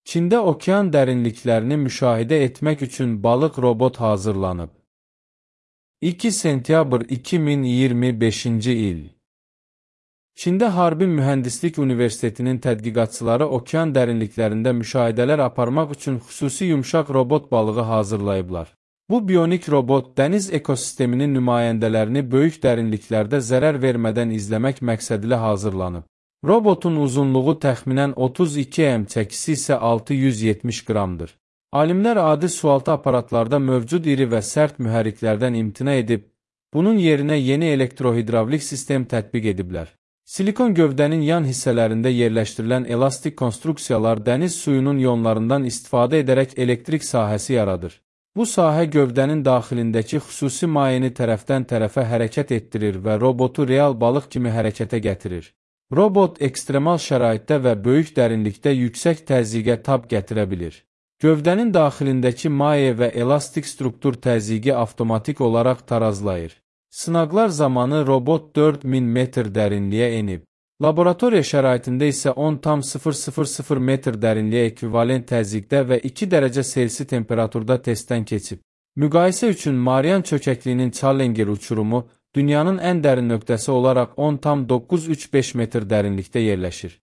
Çində okean dərinliklərini müşahidə etmək üçün balıq robot hazırlanıb. 2 sentyabr 2025-ci il. Çində Harbin Mühəndislik Universitetinin tədqiqatçıları okean dərinliklərində müşahidələr aparmaq üçün xüsusi yumşaq robot balığı hazırlayıblar. Bu bionik robot dəniz ekosisteminin nümayəndələrini böyük dərinliklərdə zərər vermədən izləmək məqsədilə hazırlanıb. Robotun uzunluğu təxminən 32 m, çəkisi isə 670 qramdır. Alimlər adi sualtı aparatlarda mövcud iri və sərt mühərriklərdən imtina edib, bunun yerinə yeni elektrohidravlik sistem tətbiq ediblər. Silikon gövdənin yan hissələrində yerləşdirilən elastik konstruksiyalar dəniz suyunun ionlarından istifadə edərək elektrik sahəsi yaradır. Bu sahə gövdənin daxilindəki xüsusi mayeni tərəfdən tərəfə hərəkət etdirir və robotu real balıq kimi hərəkətə gətirir. Robot ekstremal şəraitdə və böyük dərinlikdə yüksək təzyiqə tab gətirə bilir. Gövdənin daxilindəki maye və elastik struktur təzyiqi avtomatik olaraq tarazlayır. Sınaqlar zamanı robot 4000 metr dərinliyə enib. Laboratoriya şəraitində isə 10,000 metr dərinliyə ekvivalent təzyiqdə və 2 dərəcə Selsi temperaturda testdən keçib. Müqayisə üçün Marian çökəkliyinin Challenger uçurumu dünyanın ən dərin nöqtəsi olaraq 10,935 metr dərinlikdə yerləşir.